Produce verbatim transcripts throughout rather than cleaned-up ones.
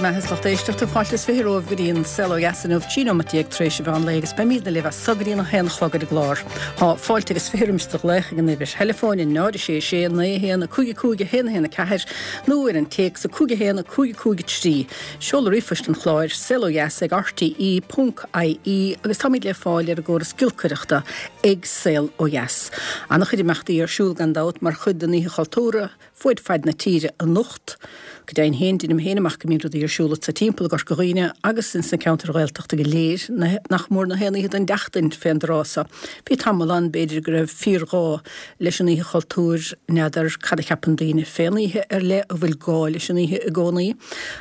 mbeatha is lucht éisteachta fáilte is fiche romhaibh go dtí an Saol Ó Dheas inniu trí nóiméad déag tar éis an mheán lae agus beimidne libh as so go dtí an haon a chlog ar an gclár. Tá fáilte agus fiche roimis do ghlaoch ag an uimhir theileafóin a náid a sé sé naoi a haon a cúig a cúig a haon a haon a ceathair nó ar an téacs a cúig a haon a cúig a cúig a trí. Seoladh ríomhphoist an chláir, Saol Ó Dheas ag rte ponc ie agus táimid le fáil ar an gcóras giolcaireachta ag Saol Ó Dheas. An-chuid imeachtaí ar siúl gan dabht mar chuid den Oíche Chultúrtha fuaid faid na tíre anocht. Go deimhin féin, deinim féin amach go mbíonn rudaí ar siúl sa timpeall i gCorca Dhuibhne agus ins na ceantair Ghaeltachta go léir, nach mór na haon oíche den tseachtain fén dtráth so. Bhí tamall ann, b'fhéidir, go raibh fíorghá leis an Oíche Chultúir, n'fheadar cad a cheapann daoine fén oíche ar leith, an bhfuil gá leis an oíche i gcónaí?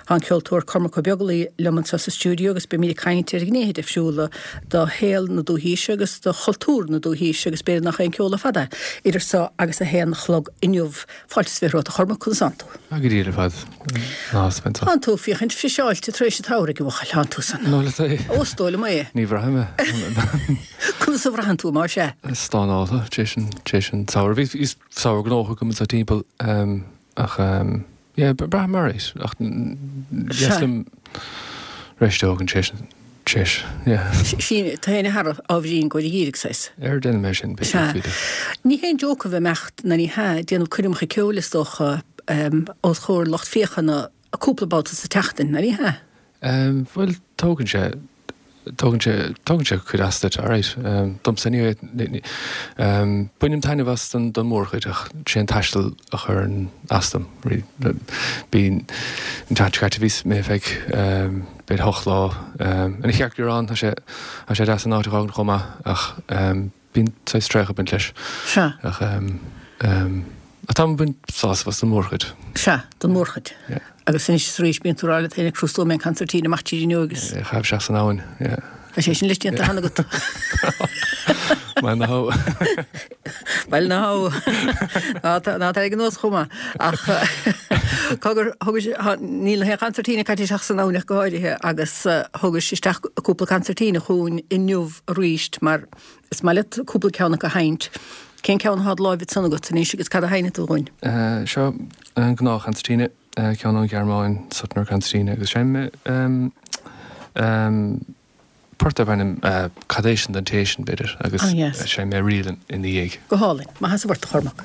Tá an ceoltóir Cormac Ó Beaglaoi liom anseo sa stiúideo agus beimid ag caint ar ghnéithe difriúla de shaol na dúthaoise agus de chultúr na dúthaoise agus b'fhéidir nach é an ceol ar fad é, idir so agus a haon a chlog inniu. Fáilte is fiche romhat a Chormaic, conas tánn tú? Tá go diail ar fad. Ná Spencer. Tánn tú féachaint friseáilte tar éis an tsamhraidh, a bhuachaill, tánn tú san. Nó le é. Ó, is dóigh liom é. Ní bhraithim é. Conas a bhraitheann tú, más ea? Stánáilte, tar éis an, tar éis an tsamhraidh. Bhí, bhí samhradh gnóthach agam anseo timpeall, ach, yeah, braithim alright, ach deas liom rest a thógaint tar éis an, tar éis, yeah. Sin, tá aon thar ábhairín go dhíreach saghas. Ar déanfaidh mé sin, b'fhéidir, Sea. b'fhéidir. Ní haon joke a bheith imeacht, ná ní hea, déanamh coirmeacha ceoil is dócha, os comhair lucht féachana cúpla babhta sa tseachtain, ná ní hea? Bhuel, tógann sé, tógann sé, tógann sé cuid as duit, alright. Domsa anyway, bainim taitneamh as don, don mhórchuid ach sé an taisteal a chuireann as dom, really. Bhí, an tseachtain seo caite bhí mé feadh, b'fhéidir hocht lá ina chearc ann, tá sé, tá sé deas an áit a fhágaint chomh maith ach bíonn saghas traochadh ag baint leis. Sea. Ach ach táim ag baint sásamh as don mhórchuid. Sea, don mhórchuid. Yeah. Agus anois is arís bíonn tú ag rá leat féin ag crústú mé an concertina amach tríd an inniu agus. É a chaitheamh isteach san abhainn, yeah. Tá sé sin leis déanta cheana agat. Bhuel ná hó. Bhuel ná hó. Ná tá ná tá ag an nós chomh maith. Ach cogar thugais níl aon concertina caite isteach san abhainn ach go háirithe agus thugais isteach cúpla concertina chugainn inniu arís mar is maith leat cúpla ceann acu a sheinnt. Cén ceann atá i do láimh ansan agat anois agus cad a sheinnfidh tú dhúinn? Seo an gnáth concertina, ceann ón Ghearmáin, Suttner concertina agus seinnfidh mé port darb ainm Cad é sin don té sin, b'fhéidir, agus Ah yes. seinnfidh mé ríl ina dhiaidh. Go hálainn. Maith as an bport, a Chormaic.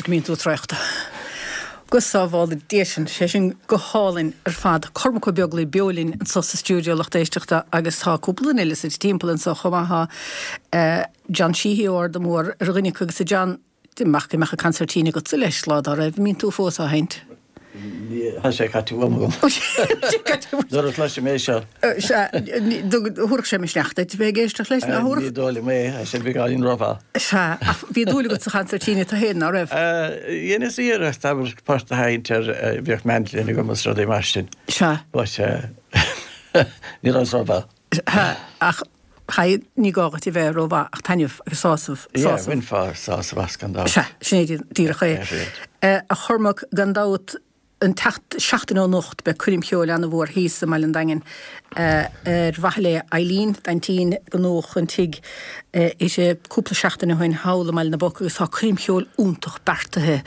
go mbíonn tú traochta. Go sábhála Dia sinn, sé sin go hálainn ar fad. Cormac Ó Beaglaoich beo linn anseo sa stiúideo lucht éisteachta agus tá cúpla duine eile suite timpeall anseo chomh maith. Tá John Sheehy ó Arda Mór ar dhuine acu agus a John, amach go mbeadh an concertina agatsa leis lá dá raibh, an mbíonn tú fós á sheinnt? Tá sé caite uaim agam. Nuair a chloisim é seo. Sea, thabharfadh sé misneach duit a bheith ag éisteacht leis, ná thabharfadh? Ní dóigh liom é, tá sé beagáinín rómhall. Sea, ach bhí dúil agat sa chansairtín tú féin, ná raibh? Dheineas iarracht abair port a sheinnt air, bhíodh mandolin agam is rudaí mar sin. Sea. But ní rabhas rómhaith. Sea, ach ní gá duit a bheith rómhaith ach taitneamh agus sásamh, sásamh. Yeah, bhainfeá sásamh as gan dabht. Sea, sin é díreach é. A Chormaic, gan dabht, an tseacht, seachtain ó anocht beidh coirm cheoil ana-mhór thíos i mBaile an Daingin ar mhaithe le Eileen, d'aintín, gnódh an tigh aici cúpla seachtain ó shin thall i mBaile na bPoc agus tá coirm cheoil iontach beartaithe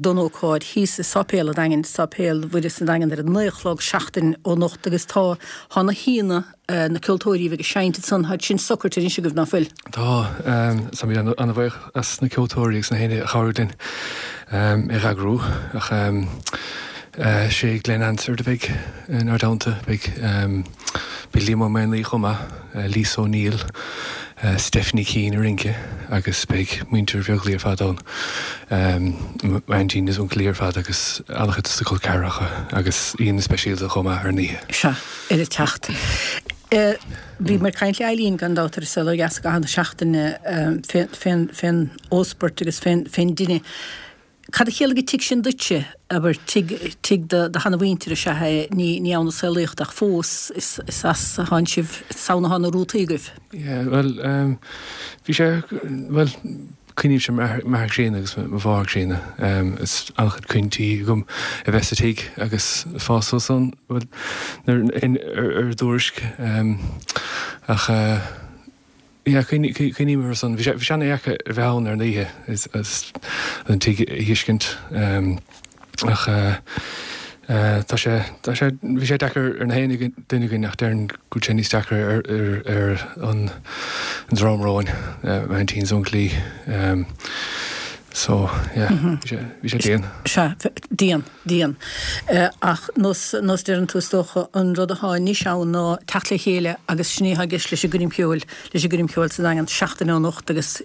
don ócáid thíos i Sáipéal an Daingin, Sáipéal Mhuire sa Daingean ar a naoi a chlog seachtain ó anocht agus tá, tá na haíonna, na ceoltóirí a bheidh ag seinnt ansan, tá sin socraithe anois agaibh, ná fuil? Tá, táimid an-bhuíoch as na ceoltóirí agus na héinne a chabhraigh linn é a eagrú ach sé Glenn Hansard a bheidh inár dteannta, beidh beidh Liam Ó Maonlaí chomh maith, Lisa O'Neill, Stephanie Keane ag rince agus beidh muintir Bheaglaoich ar fad ann, m'aintín is uncailí ar fad agus an-chuid de na col ceathracha agus aíonna speisialta chomh maith ar an oíche. Sea, ar a teacht. Bhíomar ag caint le Eileen gan dabht ar An Saol Ó Dheas i gcaitheamh na seachtaine fén óspairt agus fén dtine. Cad a chiallaigh an tigh sin duitse? Abair, tigh, tigh do sheanamhuintire is ea é, ní, ní ann a saolaíodh tú ach fós is, is as a thánn sibh, is ann atá na rútaí agaibh. Yeah, bhuel, bhí sé, bhuel, cuimhnímse ar m'athair críonna agus mo mháthair chríonna. Is an-chuid cuimhntí agam a bheith sa tigh agus fás suas ann, bhuel, ar a dtuairisc. Ach, yeah, cuimhním orthu san. Bhí sé, bhí sé an-dheacair a bheith ann ar an oíche is an tigh a thuiscint. Ach tá sé, tá sé, bhí sé deacair ar na haon duine againn ach déarfainn go bhfuil sé níos deacra ar, ar, ar an dream romhainn, m'aintín is uncailí. So, yeah, bhí sé, bhí sé dian. Sea, dian, dian. Ach nós, nós deireann tú is dócha, an rud atá anois ann ná teacht le chéile agus sin é atá i gceist leis an gcoirm cheoil, leis an gcoirm cheoil sa Daingean seachtain ó anocht agus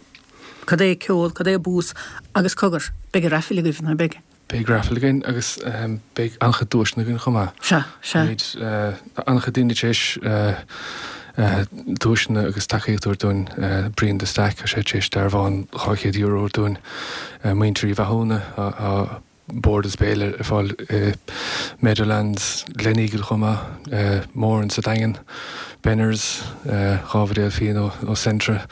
cad é ceol, cad é bús agus cogar, beidh raifil agaibh, ná beidh? Beidh raifil againn agus beidh an-chuid duaiseanna againn chomh maith. Sea, sea. Táimid an-chuid daoine tar éis duaiseanna agus tacaíocht a thabhairt dúinn. Brian de Staic, tá sé tar éis dearbhán dhá chéad euro a thabhairt dúinn. Muintir Uí Mhathúna, tá bord is béile ar fáil i Meadowlands, Gleneagle chomh maith, Moran sa Daingean, Benners, dhá bhuidéal fíon ó Centra,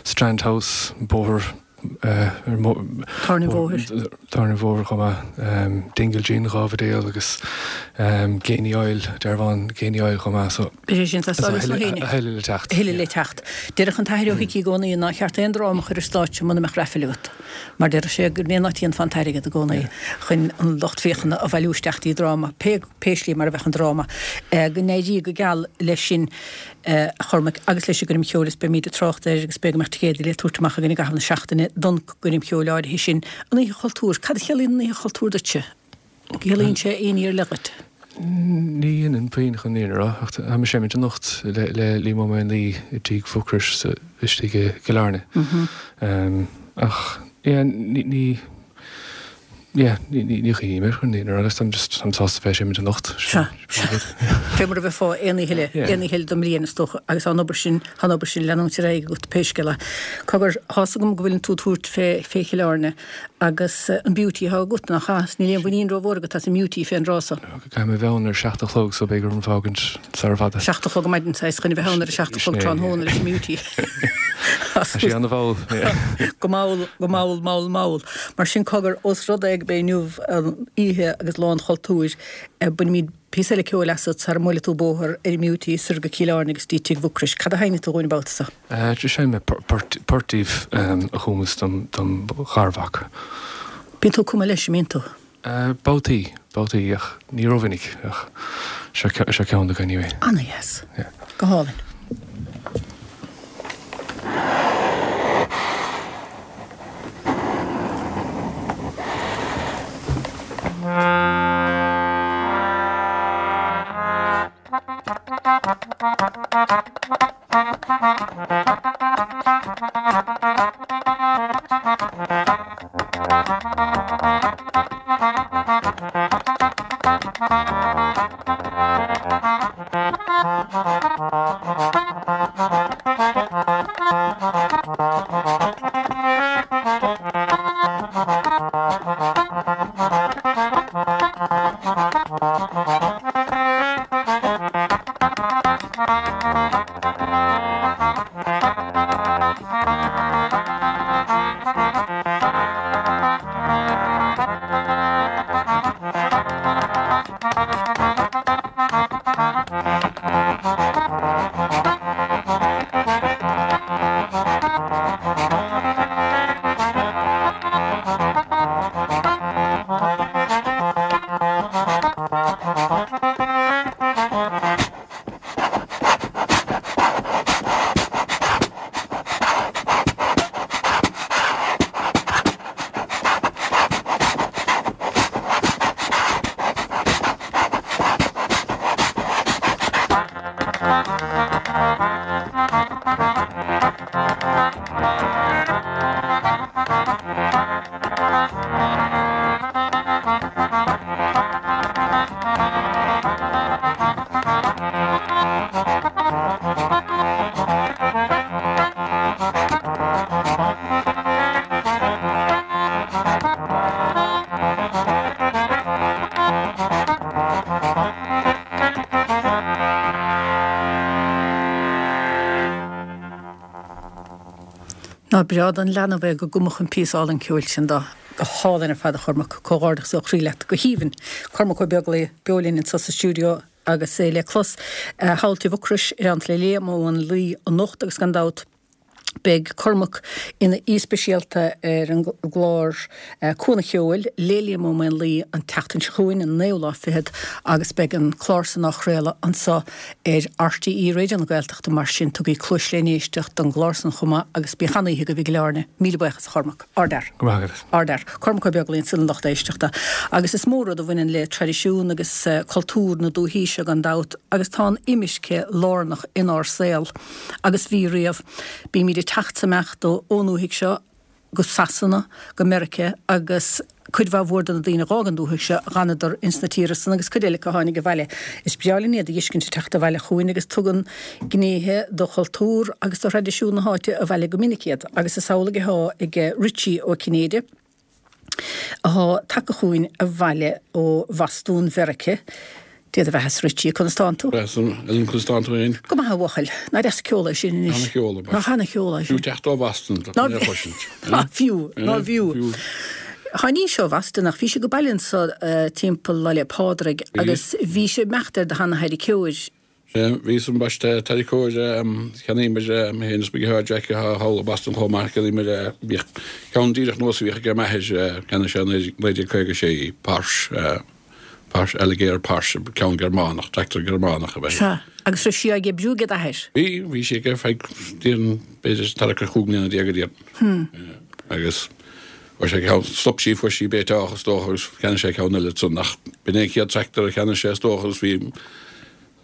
Strand House, bóthar Tábhairne an Bhóthair. Tábhairne an Bhóthair chomh maith. Dingle Gin, dhá bhuidéal agus Geaney Oil, dearbhán Geaney Oil chomh maith. So Beidh sé sin tá a thuilleadh le teacht. A thuilleadh le teacht. Deireadh an tAthair Ó hIcí i gcónaí nár cheart aon dráma a chur ar stáitse muna mbeadh raifil agat. Mar deireadh sé go mb'é an áit a dhéanfá an t-airgead i gcónaí chun an lucht féachana a bhailiú isteach dtí dráma, pé pé slí mar a bheadh an dráma. Go n-éirí go geal leis sin. a Chormaic, agus leis an gcoirm cheoil is beimid ag trácht air agus b'fhéidir go mbeadh ticéadaí le tabhairt amach againn i gcaitheamh na seachtaine don gcoirm cheoil áirithe sin. An Oíche Chultúir, cad a chiallaíonn an Oíche Chultúir duitse? An gciallaíonn sé aon ní ar leith duit? Ní dhéanann puinn chun an fhírinne a rá, ach tá mé ag seimint anocht le le Liam Ó Maonlaí i dTigh Mhucrois istigh i gCill Airne. Ach yeah ní ní Yeah, ní chuimhním air chun an fhírinne a rá, táim just, táim sásta bheith ag seimint anocht. Sea, sea. Fé mar a bheifeá aon oíche eile, aon oíche eile den mbliain is dócha, agus tá an obair sin, tá an obair sin ag leanúint ar aghaidh agat pé scéal é. Cogar, tá's agam go bhfuileann tú ag tabhairt fé, fé Chill Airne agus an beauty atá agat, nach ea? Níl aon mhuinín rómhór agat as an mbeauty fén dtráth so. Caithfidh mé bheith ann ar seacht a chlog so beidh orm fágaint sara fada. Seacht a chlog ar maidin, saghas, chun a bheith ann ar a seacht a chlog tráthnóna leis an mbeauty. Tá sé ana-mhall. Go mall, go mall, mall, mall. Mar sin, cogar, ós rud é gurb é inniu an oíche agus lá an chultúir, bainfimid píosa eile ceoil asat sara mbuailfidh tú bóthar ar an mbeauty soir go Cill Airne agus dtí Tigh Mhucrois. Cad a sheinnfidh tú dhúinn an babhta so? Seinnfidh mé port daoibh a chumas dom garmhac. Bíonn tú ag cumadh leis, an mbíonn tú? Babhtaí, babhtaí, ach ní rómhinic, ach seo ceann acu anyway. Ana-dheas. Go hálainn. Ná breá don leanbh é go gcumfadh an píosa álainn ceoil sin dó. Go hálainn ar fad a Chormaic, comhghairdeachas ó chroí leat. Go haoibhinn. Cormac Ó Beaglaoich beo linn anseo sa stiúideo agus é le clos thall Tigh Mhucrois i dteannta le Liam Ó Maonlaí anocht agus gan dabht beidh Cormac ina aoi speisialta ar an gclár Cuan an Cheoil le Liam Ó Maonlaí an tseachtain seo chugainn, an naoú lá fichead, agus beidh an clár san á chraoladh anseo ar RTÉ Raidió na Gaeltachta mar sin tugaigí cluas le n-éisteacht don gclár san chomh maith agus bíodh an-oíche agaibh i gCill Airne. Míle buíochas a Chormac. Ardfhear. Go raibh maith agat. Ardfhear. Cormac Ó Beaglaoich ansin a lucht éisteachta. Agus is mór rud a bhaineann le traidisiún agus cultúr na dúichí seo gan dabht agus tá an imirce lárnach inár saol agus bhí riamh. Bímid ag teacht 's imeacht ón ndúthaigh seo go Sasana, go Meiriceá agus cuid mhaith mhór de na daoine a dh'fhág an dúthaigh seo dh'fhanadar ins na tíortha san agus cuid eile acu a tháinig abhaile. Is breá linn iad a dh'fheiscint ag teacht abhaile chugainn agus tugann gnéithe de chultúr agus de thraidisiún na háite abhaile go minic iad agus is amhlaidh athá ag Richie Ó Cinnéide. athá tagtha chugainn abhaile ó Bhostún Mheirice. Dia do bheatha-sa Richie, conas tánn tú? Breá Ellen, conas tánn tú fhéin? Go maith a bhuachaill. Nach deas an ceol é sin anois? Ana-cheol ab ea. Nach ana-cheol é sin? Fiú teacht ó Bhoston, tá mé a chloisint. Ná fiú, ná fiú. Tháinís ó Bhoston ach bhís ag baile anso timpeall Lá 'le Pádraig agus bhís ag imeacht ar do sheana-tharraiceoir. Sea, bhíos ambaiste tarraiceoir, cheannaíomar, mé féin is mo dheartháir Jack atá thall i Boston chomh maith, cheannaíomar, bhíodh ceann díreach nós a bhíodh aige m'athair, cheannaigh sé i naoi déag caoga a sé í, Porsche, Porsche, Allgäuer Porsche, ceann Gearmánach, tractor Gearmánach ab ea í. Sea, agus raibh sí ag oibriú ag d'athair? Bhí, bhí sí aige ar feadh, déarfainn, b'fhéidir tarrac ar chúig mbliana déag a déarfainn. Agus fuair sé ceann, stop sí, fuair sí béiteach is dócha agus cheannaigh sé ceann eile ansan ach b'in é an chéad tractor a cheannaigh sé is dócha agus bhí,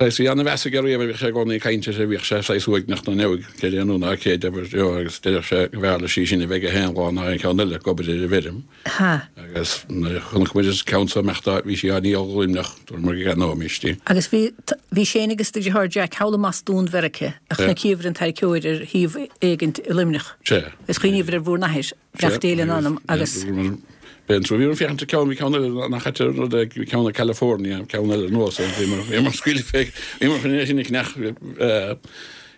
Saghas, bhí ana-mheas aige riamh air, bhíodh sé i gcónaí ag caint air, bhíodh sé saghas uaigneach nó neamh céard é nó ná céard abair, you know, agus deireadh sé go mb'fhearr leis í sin a bheith aige féin lá ná aon cheann eile ag obair ar an bhfeirm. Ha. Agus nuair a chonaic muid an ceann so imeacht bhí sí á ndíol i Luimneach, dúramar go gceannóimis í. Agus bhí, bhí Shane agus do dheartháir Jack thall i mBostún Mheirice a chonaiceabhair an tarraiceoir ar shuíomh éigint i Luimneach. Sea. Is chuimhníobhair ar bhur n-athair. Beannacht Dé lena anam agus. B'é an trua. Bhíomar ag féachaint ar ceann, bhí ceann eile nach ait an rud é, bhí ceann i California, ceann eile anuas air, bhíomar, bhíomar scaoileadh fé, bhíomar chun é sin a cheannach,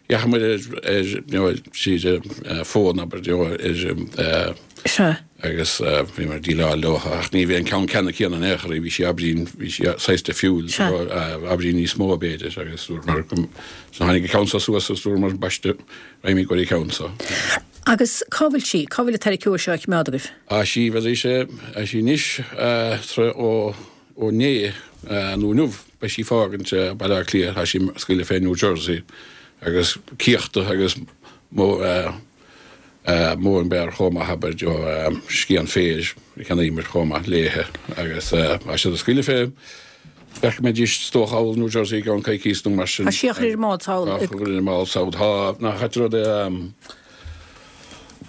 dheachaigh muid ar, ar, you know, tríd an phone, abair, you know, ar, Sea. agus bhíomar ag déileáil leo ach ní bhí an ceann ceanna céanna in aon chor, bhí sí ábhairín, bhí sí saghas difriúil, Sea. ábhairín níos mó b'fhéidir agus dúramar go, so tháinig an ceann seo suas agus dúramar, ambaiste, raghaimid go dtí an ceann seo. Agus cá bhfuil sí? Cá bhfuil an tarraiceoir seo á choimeád agaibh? Tá sí, bheadh sé, tá sí anois tráth ó ó inné nó inniu, beidh sí fágaint Baile Átha Cliath, tá sí ag scaoileadh fé New Jersey agus cíochta agus mowing bar chomh maith, abair, scian féir a cheannaíomar chomh maith léithe agus tá siad ag scaoileadh fé. Bheimidís is dócha thall New Jersey i gceann coicís nó mar sin. Tá sí á chur ar an mbád sall. Á chur ar an mbád sall. Tá, nach ait an rud é,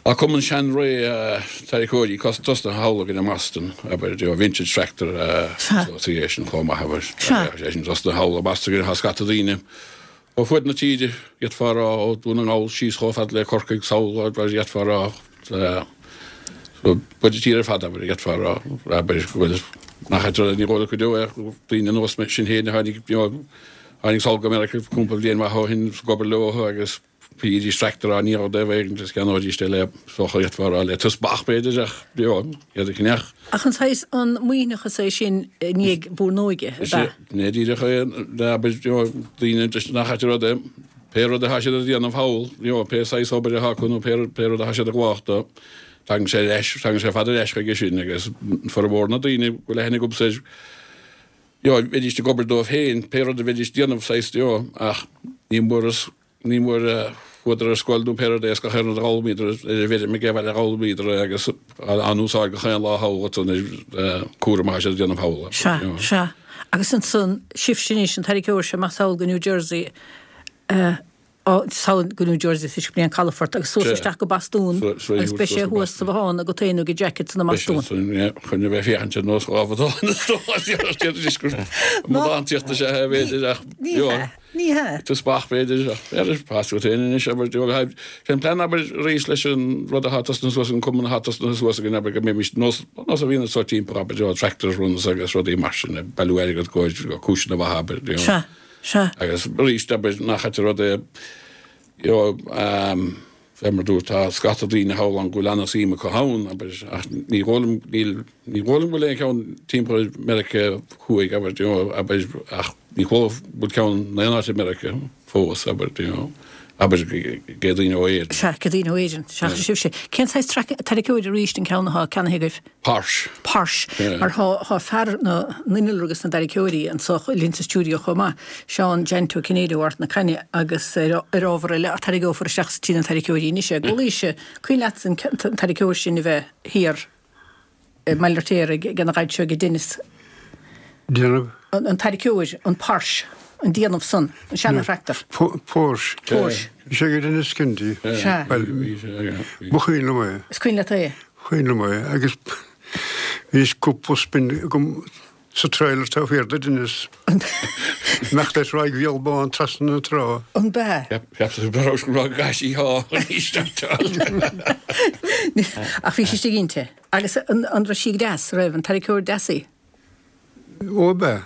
tá cumann seanré tarraiceoirí tosnaithe thall againn i mBoston, abair, you know, vintage tractor association chomh maith, abair. Sea. Sé sin tosnaithe thall i mBoston againn, tá scata daoine ó fud na tíre, d'fhéadfá a rá, ó Dhún na nGall síos chomh fada le Corcaigh sall, d'fhéadfá a rá, fud na tíre ar fad, abair, d'fhéadfá a rá, abair, go bhfuil, nach ait an rud é, ní dhóigh liom go deo é, daoine ar nós sinn féin a tháinig, you know, tháinig sall go Meiriceá cúpla bliain maith ó shin ag obair leo agus bhídís tractor á ndíol dóibh agus cheannóidís é le, is dócha, d'fhéadfá a rá, le teaspach b'fhéidir ach, you know, iad a cheannach. Ach an saghas, an maoithneachas é sin i ndiaidh bhur n-óige, ab ea? Sin é díreach é, abair, you know, daoine nach ait an rud é, pé rud atá siad a dhéanamh thall, you know, pé saghas obair atá acu nó pé, pé rud atá siad ag gabháil dó, tagann sé ar ais, tagann sé ar fad ar ais chuige sin agus formhór na daoine go bhfuil aithne agamsa air, you know, bheidís ag obair dóibh féin, pé rud a bheidís ag déanamh, saghas, you know, ach ní mór is, Ní mór a chuadar ar scoil nó pé rud é is gach aon rud a d'fhoghlaimíodar ar an bhfeirm ag baile a d'fhoghlaimíodar é agus á n-úsáid gach aon lá thall ansan ar cúram atá siad a déanamh thall. Sea, sea. Agus ansan, sibhse anois, an tarraiceoir seo amach sall go New Jersey, sall go New Jersey toisc go mb'é an calafort agus suas isteach go Bostún agus beidh sé thuas sa bhothán agat féin nó ag Jack ansan i mBostún. Chun a bheith féachaint ar nós dhá bhotán is dócha, anois gur amadántaíocht is ea é b'fhéidir ach Ní hea. Ní hea. Teaspach b'fhéidir, ach b'fhéidir, pas agat féin anois, abair, do sé an plean, abair, arís leis an rud atá tosnaithe suas, an cumann atá tosnaithe suas againn, abair, go mbeimis nós, nós a bhíonn anseo timpeall, abair, do tractor runs agus rudaí mar sin, ag bailiú airgead go cúiseanna mhaithe, abair, do. Sea, sea. Agus arís, abair, nach ait an rud é, you know, fé mar dúirt, tá scata daoine thall ann go bhfuil an-suim acu ann, abair, ach ní dhóigh liom, níl, ní dhóigh liom go bhfuil aon cheann timpeall ar Meiriceá Thuaidh, abair, you know, abair, ach ní dhóigh go bhfuil ceann in aon áit i Meiriceá fós, abair, you know, abair, ag daoine ó Éirinn. Sea, ag daoine ó Éirinn, seachas sibhse. Cén saghas tarraiceoir arís an ceann atá ceannaithe agaibh? Porsche. Porsche. Mar thá, thá fear na n-innealra agus na dtarraiceoirí anso linn sa stiúideo chomh maith, Seán Jeaint Ó Cinnéide ó Ard na Caithne agus ar, ar ábhar eile ach tarraingeofar isteach trí na tarraiceoirí anois é. Gabhlaís, cuimhin leatsa an, an tarraiceoir sin a bheith thiar i mBaile Bhirtéir ag, ag an ghaid seo ag Dennis. Déanamh. An tarraiceoir, an Porsche, an déanamh san, an seana-thractor. Porsche. Porsche. Bhí sé ag Dennis Kennedy. Sea. Bhuel, ba chuimhin liom é. Is cuimhin leat é? Cuimhin liom é agus bhí cúpla spin agam sa trailer taobh thiar de Dennis. Imeacht ar Thráigh Bhéal Bán trasna na trá. An b'ea? Cheap tú go raibh go raibh gaisí thá arís Ach bhí sí istigh inti. Agus an raibh sí deas, raibh an tarraiceoir deas í? Ó b'ea.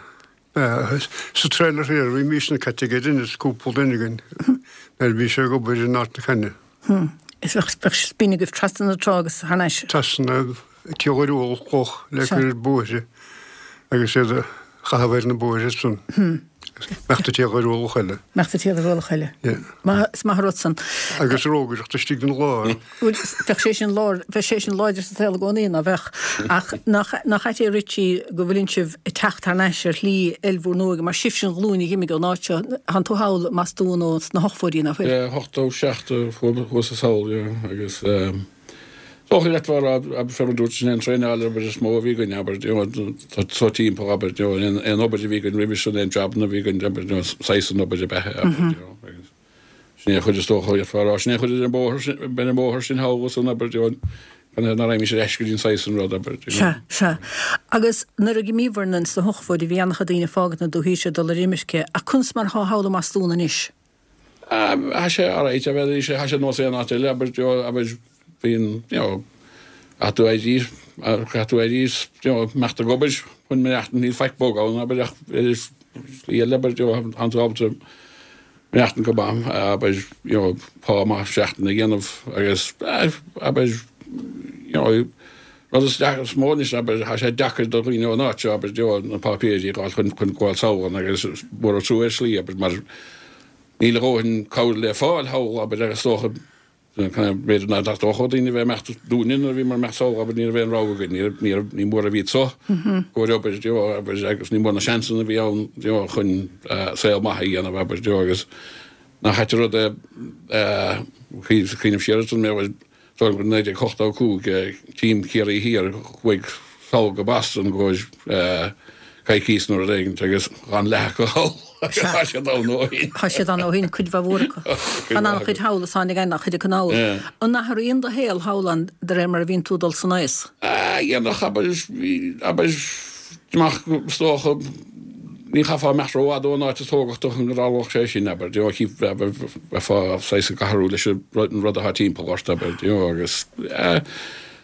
B'ea. Sa trailer thiar bhí míosa caite aige Dennis, cúpla duine againn, nuair a bhí sé ag obair in Ard na Caithne. Is bheadh, bheadh spin agaibh trasna na trá agus thar n-ais. Trasna Tí Ghoiriúl cloch le cur ar bóithre agus iad a chaitheamh ar na bóithre san. Imeacht go Tí Ghoiriúlach eile. Imeacht go Tí Ghoiriúlach eile. Yeah. Maith, is maith an rud san. Agus rógaireacht istigh den lár. Bhuel, bheadh sé sin lár, bheadh sé sin láidir sa saol i gcónaí, ná bheadh? Ach nach, nach ait é Richie go bhfuileann sibh ag teacht thar n-ais ar shlí eil bhur n-óige, mar sibhse an ghlúin a dh'imigh ón áit seo, thánn tú thall i mBostún ó sna hochtóidí, ná fuil? Yeah, ochtó seacht a chuas sall, yeah, agus ehm, dócha leat a rá, abair, fé mar dúirt, sin é an traenáil abair is mó a bhí againn, abair, you know, so timpeall, abair, you know, aon, aon obair a bhí againn roimhe sin, aon jabanna a bhí againn, abair, you know, saghas an obair ab ea é, abair, you know, agus sin é an chuid is dócha, d'fhéadfá a rá, sin é an chuid ar an bóthar sin, ar an mbóthar sin thall ansan, abair, you know, gan nach raghaimís ar ais go dtí an saghas an rud, abair, you know. Sea, sea. Agus nuair a dh'imíobhair sna hochtóidí bhí an-chuid daoine ag fágaint na dúthaí seo ag dul ar imirce, ach conas mar thá thall i mBostún anois? Tá sé alright, abair, tá sé nós aon áit eile, abair, you know, abair, bíonn, you know, caithfidh tú éirí, caithfidh tú éirí, you know, imeacht ag obair chun maireachtaint, níl faic bog ann, abair, ach ar shlí eile, abair, you know, tánn tú ábalta maireachtaint go maith, abair, you know, pá maith seachtaine a dhéanamh agus, abair, you know, rud is is mó anois, abair, tá sé deacair do dhaoine ón áit seo, abair, you know, na páipéirí a fháil chun chun gabháil sall ann agus mór an trua ar shlí, abair, mar níl a dhóthain cabhair le fáil thall, abair, agus is dócha, b'fhéidir nach dócha daoine a bheith ag imeacht dúinne nuair a bhíomar ag imeacht sall, abair, ní raibh aon rogha againn, ní raibh, ní raibh, ní mór a bhí anseo i gcomhair obair, you know, abair, agus ní mór na seansanna a bhí ann, you know, chun saol maith a dhéanamh, abair, you know, agus nach ait an rud é, cuimhneamh siar ansan, mé, bhuel, dóigh liom gur naoi déag ochtó a cúig, Team Chiarraí Thiar, chuaigh sall go Boston i gcomhair coicís nó rud éigin agus gan leath acu thall. Tá siad ann ó shin. Tá siad ann ó shin, cuid mhaith mhór acu. Tá an-chuid thall is tháinig an-chuid acu anall. An athraíonn do shaol thall ann de réir mar a bhíonn tú ag dul san aois? Ah, dhéanfadh, abair, abair, amach is dócha, ní chaithfeá imeacht rófhada ón áit a tógadh tú chun go dtarlódh sé sin, abair, you know, cheap, abair, bheifeá saghas ag athrú leis an rud atá timpeall ort, abair, you know, agus, eh,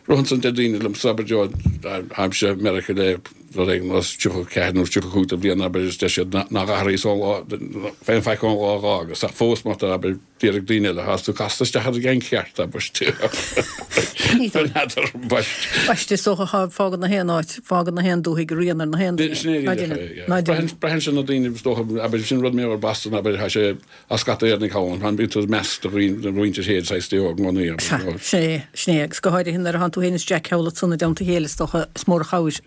Rud ansan deir daoine liomsa, abair, you know, táimse i Meiriceá le rud éigin os tríocha ceathair nó tríocha cúig de bhliain, abair, is deir siad nach athraíos ón lá, aon faic ón lá a dh'fhágas, ach fós má tá, abair, déarfaidh daoine eile, tá tú casta isteach ar an gceann ceart, abair, n'fheadar, baist. Baist, is dócha, fágann na haon áit, fágann na haon dúthaigh rian ar na haon duine. Sin é díreach é, yeah. Braitheann sé na daoine, is dócha, abair, sin rud mar gheall ar Boston, abair, tá sé, Tá scata Éireannaigh thall ann, bíonn tú ag measc do mhuintir féin saghas de i gcónaí. Sea, sin é, sin é, agus go háirithe nuair atánn tú féin is Jack thall ansan i dteannta a chéile is dócha, is mór an chabhair,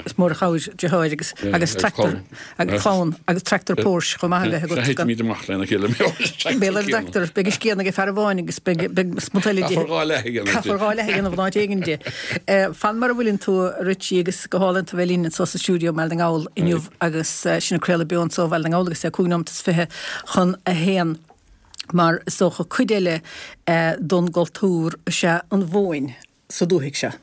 is mór an chabhair deartháir agus, agus tractor, agus clann, agus tractor Porsche chomh maith a bheith agat. Sea, thitfimid amach lena chéile, Béal ar an dtractor, beidh a scian ag fear amháin agus beidh, beidh smut eile de. Caithfear dhá leath a dhéanamh de. Caithfear dhá leath a dhéanamh in áit éigin de. Fan mar a bhfuileann tú, a Richie, agus go hálainn tú a bheith linn anso sa stiúideo i mBaile na nGall inniu agus sinn ag craoladh beo anso ó Bhaile na nGall agus é cúig nóimeat is fiche chun a haon, mar is dócha cuid eile don gcultúr is ea an mhóin sa dúthaigh seo.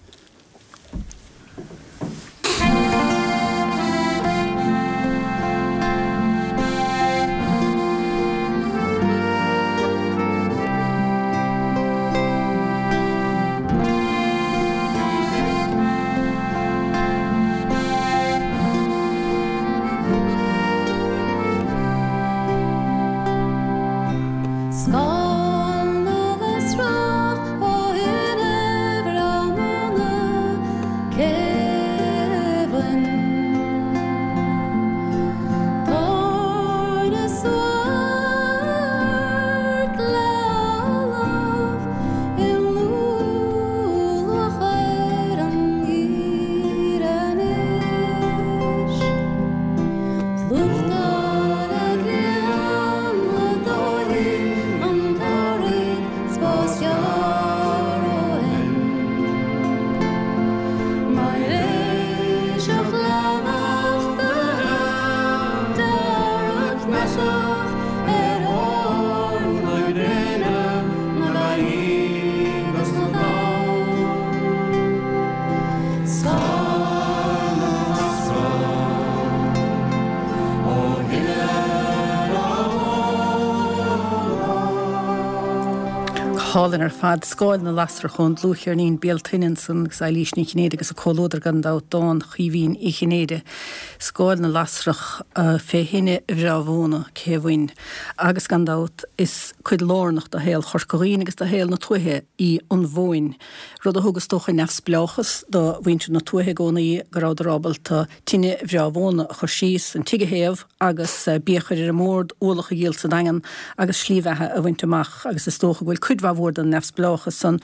Hálainn ar fad, Scáil na Lasrach ón dlúthcheirnín Béal Tine ansan agus Eilís Ní Chinnéide agus a comhluadar gan dabht, dán Chaoimhín Uí Chinnéide, Scáil na Lasrach fé thine bhreá mhóna cé bhain. Agus gan dabht is cuid lárnach de shaol Chorca Dhuibhne agus de shaol na tuaithe í an mhóin, rud a thug is dócha neamhspleáchas do mhuintir na tuaithe i gcónaí, go rabhadar ábalta tine bhreá mhóna a chur síos, an tigh a théamh agus bia a chur ar an mbord, ualach a dhíol sa Daingean agus slí bheatha a bhaint amach agus is dócha go bhfuil cuid mhaith mhór den neamhspleáchas san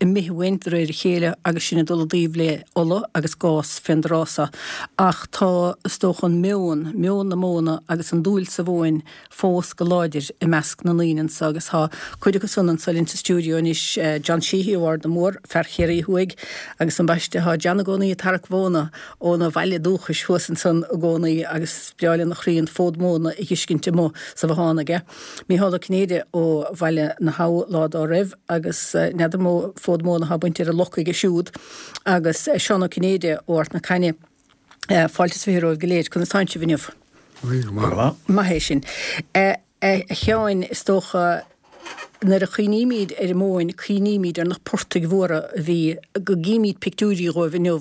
imithe uainn de réir a chéile agus sinn ag dul i dtaobh le ola agus gás fén dtráth so. Ach tá, is dócha, an meon, meon na móna agus an dúil sa mhóin fós go láidir i measc na ndaoine anso agus tá cuid acu san anso linn sa stiúideo anois, John Sheehy ó Ard na Mór, fear Chiarraí Thuaidh agus ambaiste tá John i gcónaí ag tarrac mhóna óna bhaile dúchais thuas ansan i gcónaí agus is breá lena chroí an fód móna a dh'fheiscint amuigh sa bhothán aige. Mícheál Ó Cinnéide ó Bhaile na hAbha lá dá raibh agus n'fheadar mó fód móna atá bainte ar an loc aige siúd agus Seán Ó Cinnéide ó Ard na Caithne. Fáilte is fiche romhaibh go léir. Conas tánn sibh inniu? Go maith. Maith é sin. A Sheáin, is dócha nuair a chuimhnímid ar an móin, cuimhnímid ar na portaigh mhóra a bhí, go gcímid pictiúirí dhóibh inniu,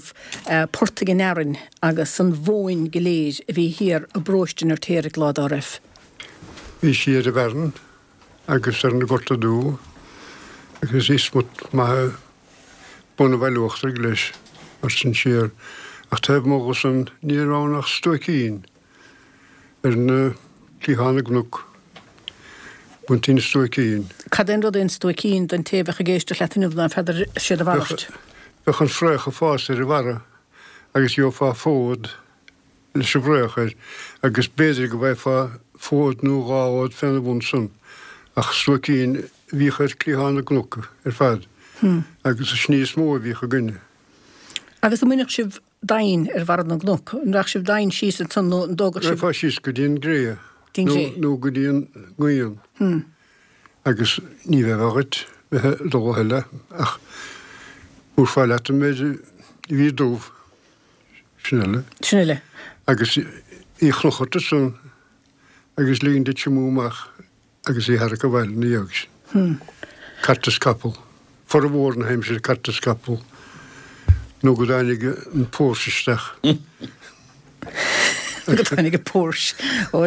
portaigh an Fhearainn agus an mhóin go léir a bhí thiar i bparóiste an Fheirtéaraigh lá dá raibh. Bhí sí ar an bhFearann agus ar na Gorta Dubha agus bhí smut maith bun an Bhaile Uachtaraigh leis mar sin siar ach taobh amuigh dho san ní raibh ann ach stuaicín ar na cliatháin na gcnoc. Baintí na stuaicín. Cad é an rud é an stuaicín don té a bheadh ag éisteacht leat inniu ná n'fheadar siad a mhalairt? Bheadh an fraoch ag fás ar an bharra agus gheofá fód leis an bhfraoch air agus b'fhéidir go bhfaighfeá fód nó dhá fhód féna bhun san ach stuaicín a bhíodh ar chliathán na gcnoc ar fad agus is ní is mó a bhíodh againne. Agus an mbainfeadh sibh domhain ar bharra na gcnoc? An rachadh sibh domhain síos ansan nó an dtógadh sibh? Rachfá síos go dtí an gcré nó go dtí an ngrian agus ní bheifeá dhuit bheith ag dul a thuilleadh ach thabharfá leat an méid a bhí dubh, sin uile. Sin uile. Agus í a chrochadh ort ansan agus ligint di tiomú amach agus í a tharrac abhaile ina dhiaidh sin. Cairt is capall. Formhór na haimsire cairt is capall nó go dtáinig an Porsche isteach. Go dtáinig an Porsche. Ó,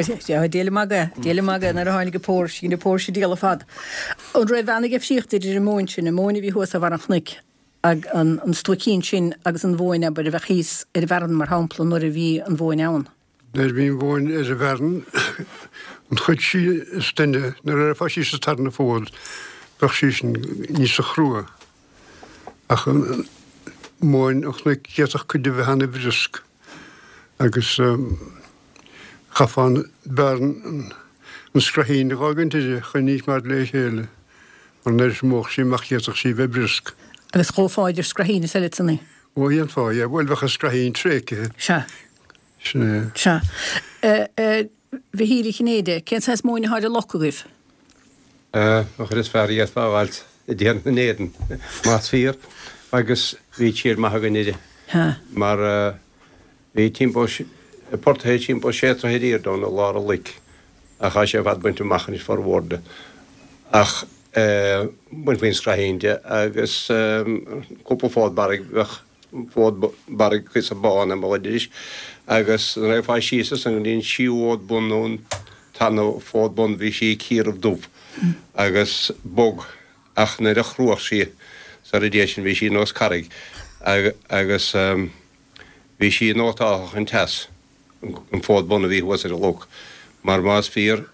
díol magadh, díol magadh nuair a tháinig an Porsche, bhí na Porsche ag díol ar fad. An raibh ana-dhifríocht idir an mhóin sin, an mhóin a bhí thuas ar bharr an chnoic, ag an stuaicín sin agus an mhóin, abair, a bheadh thíos ar an bhfearann, mar shampla, nuair a bhí an mhóin ann? Nuair a bhí an mhóin ar an bhfearann, an chuid sí is doimhne, nuair a raghfá síos an tarna fód, bheadh sí sin níosa chrua. Ach an mhóin an chnoic, d'fhéadfadh cuid di bheith ana-bhriosc agus chaithfeá an bearn, an scraithín a dh'fhágaint uirthi chun í a choimeád le chéile. Mar nuair a thiomódh sí amach d'fhéadfadh sí bheith briosc. Agus dhófá idir scraithín is eile ansan í? Ó, dhéanfá, yeah. Bhuel, bheadh an scraithín tréigthe. Sea. Sin é. Sea. A Mhichíl Uí Chinnéide, cén saghas móin atá ar an loc agaibh? An chuid is fearr a d'fhéadfá a fháilt i dtír na nÉireann, más fíor. Agus bhí tír maith againn uirthi. Sea. Mar bhí timpeall, portaithe timpeall sé troithe ar airde ann i lár an loic. Ach tá sé ar fad bainte amach anois, formhór de. Ach bainfí an scraithín de agus cúpla fód barraigh, bheadh fód barraigh píosa bán ar mo chuid agus nuair a raghfá síos ansan go dtí an tríú fhód bun nó an tarna fód bun bhí sí ciarbh dubh agus bog ach nuair a chruach sí sar a dtéadh sin bhí sí nós carraig agus bhí sí nótáltha chun teas an fód bun a bhí thuas ar an loc mar más fíor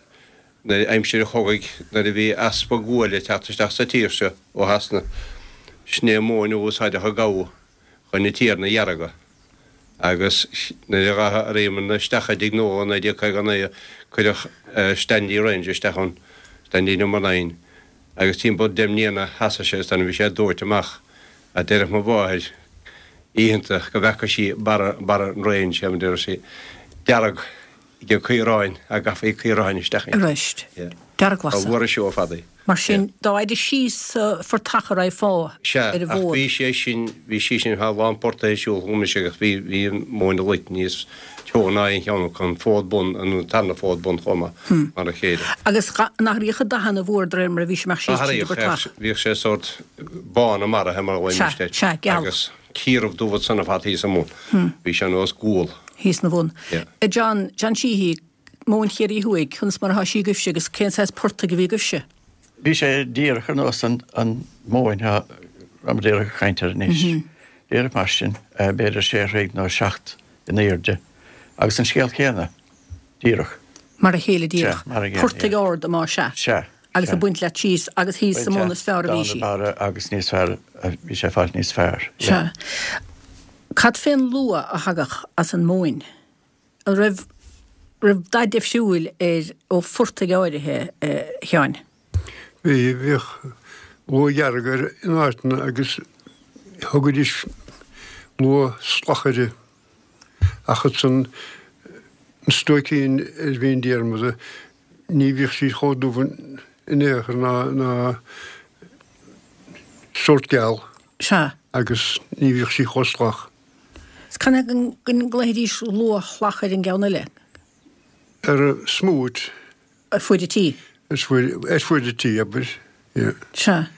Nuair aimsir an chogaidh, nuair a bhí easpa guail ag teacht isteach sa tír seo ó Shasana, sin é an mhóin a úsáideadh a gabhadh chun na tiarna a dheargadh. Agus nuair a ghabhadh airm isteach i dTigh Noel i naoi déag caoga a naoi, cuireadh Standley Range isteach ann, Standley Number Nine, agus timpeall deich mbliana sheasaigh sé is bhí sé dóite amach. A deireadh mo mháthair oícheanta go bhfeaca sí barra barra an range, a deir sí, dearg. Ag caoráin, a gcaithfí caoráin isteach inti. Arís, dearglasadh. Ba mhór an seó ar fad í. Mar sin, dá fhaide síos sa phortach a raghfá Sea, ar an ach bhfód. bhí sé sin, bhí sí sin, tá a lán portaithe ag siúl chugam anois agus bhí, bhí an mhóin an loic níos teo ná aon cheann acu, an fód bun, an tarna fód bun chomh maith, mar a chéile. Agus an athraíodh an dath an mhór de réir mar a bhí sé amach síos tríd an bportach? Athraíodh, bhíodh sé sórt bán i mbarraithe mar a Sea, ghlaoimis air. sea, geal. Agus ciarbh dubh ansan ar fad thíos i mbun. Bhí sé nós gual. Thíos na bhun. Yeah. A John, John Sheehy, Móin Chiarraí Thuaidh, conas mar atá sí agaibhse agus cén saghas portaigh a bhí agaibhse? Bhí sé díreach ar nós an, an mhóin a raibh díreach ag caint air anois. Díreach mar sin, b'fhéidir sé throigh nó seacht in airde. Agus an scéal céanna, díreach. Mar a chéile díreach. Sea, mar a chéile, Portaigh yeah. arda más ea. Sea, Agus sea. ag baint leat síos agus thíos sa mbun is fearr a bhí sí. Baint leat barra agus níos fearr, bhí sé fáilt níos fearr. Sea. Cad fén luaith a thagadh as an móin? An raibh raibh dath difriúil air ó phortaigh áirithe, a Sheáin? Bhí, bhíodh luaith dhearg air in áiteanna agus thugaidís luaith salach uirthi. Ach ansan an stuaicín ar Mhín Diarmada ní bhíodh sí chomh dubh in aon chor ná ná sórt geal. Sea. Agus ní bhíodh sí chomh salach. 'S canathaobh go nglaofaidís luaith shalach ar an gceann eile? Ar an smúit. Ar fuaid an tí. Ar fuaid, ar fuaid an tí, abair, yeah. Sea.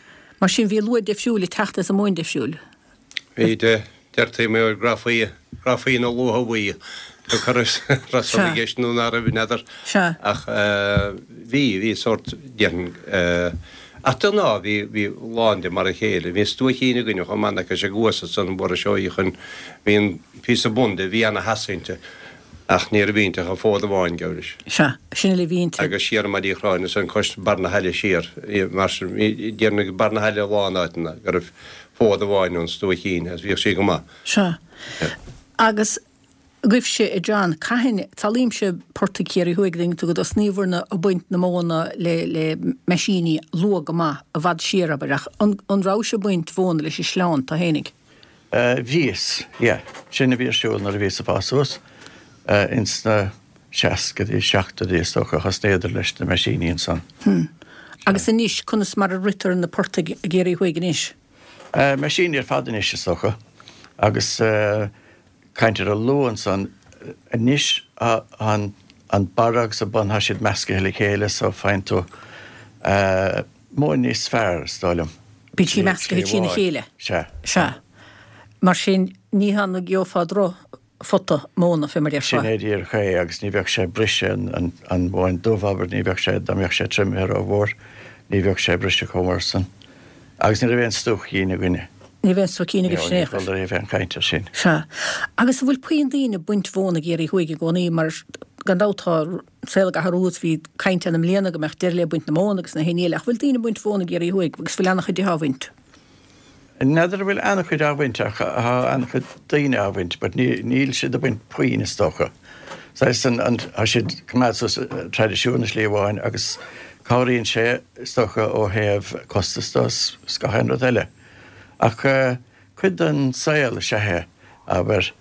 Mar sin bhí luaith difriúil ag teacht as an móin difriúil. Bhí, deirtí mar grafaí, grafaí na luaithe bhuí. Tá cur raibh san i gceist nó ná raibh, n'fheadar. Sea. Ach bhí, bhí sórt, déarfainn, ach de ghnáth bhí, bhí lán de mar a chéile. Bhí an stuaicín againne chomh maith, nach sé thuas ansan an bhfuair seo í chun, bhí an píosa bun de, bhí ana-theas inti ach ní raibh inti ach an fód amháin, gabh leis. Sea, sin uile a bhí inti. Agus siar i Maigh Chráin ansan cois barr na haille siar, mar sin, bhí, déarfainn ag barr na haille a lán áiteanna go raibh fód amháin ón stuaicín agus bhíodh sí go maith. Sea. Agus agaibhse, a John, cathain, samhlaímse portaigh Chiarraí Thuaidh, an dtuigeann tú, go dtosnaíobharna ag baint na móna le, le meaisíní luath go maith, i bhfad siar, abair, ach an, an rabhais ag baint mhóna leis an sleán tú fhéinig? Bhíos, yeah. Sin a bhí ar siúl nuair a bhíos ag fás suas, ins na seascaidí, seachtóidí is dócha, thosnaíodar leis na meaisíní ansan. Hmm. Agus anois, conas mar a ritear na portaigh i gCiarraí Thuaidh anois? Meaisíní ar fad anois is dócha. Agus caint ar an luaith ansan, anois an an barra agus an bun, tá siad meascaithe le chéile so faigheann tú móin níos fearr, is dóigh liom. Bíonn sí meascaithe trína chéile. Sea. Sea. Mar sin, ní hann a gheofá drochphota móna, fé mar a déarfá. Sin é díreach é, agus ní bheadh sé ag briseadh, an an mhóin dubh, abair, ní bheadh sé, dá mbeadh sé triomaithe rómhór, ní bheadh sé ag briseadh chomh mór san. Agus ní raibh aon stuaicín againne. Ní raibh aon stuaicín agaibh sin aon chor. Ní raibh aon chaint air sin. Sea. Agus an bhfuil puinn daoine ag baint mhóna i gCiarraí Thuaidh i gcónaí, mar gan dabht tá an saol ag athrú agus bhí caint ann i mbliana go mbeadh deireadh le baint na móna agus na haon ní eile, ach bhfuil daoine ag baint mhóna i gCiarraí Thuaidh agus bhfuil an-chuid á bhaint? N'fheadar an bhfuil an-chuid á bhaint ach tá an-chuid daoine á bhaint but níl siad ag baint puinn is dócha. Saghas an, an, tá siad ag coimeád suas traidisiún i slí amháin agus cabhraíonn sé is dócha ó thaobh costas de is gach aon rud eile. Ach cuid den saol is ea é, abair,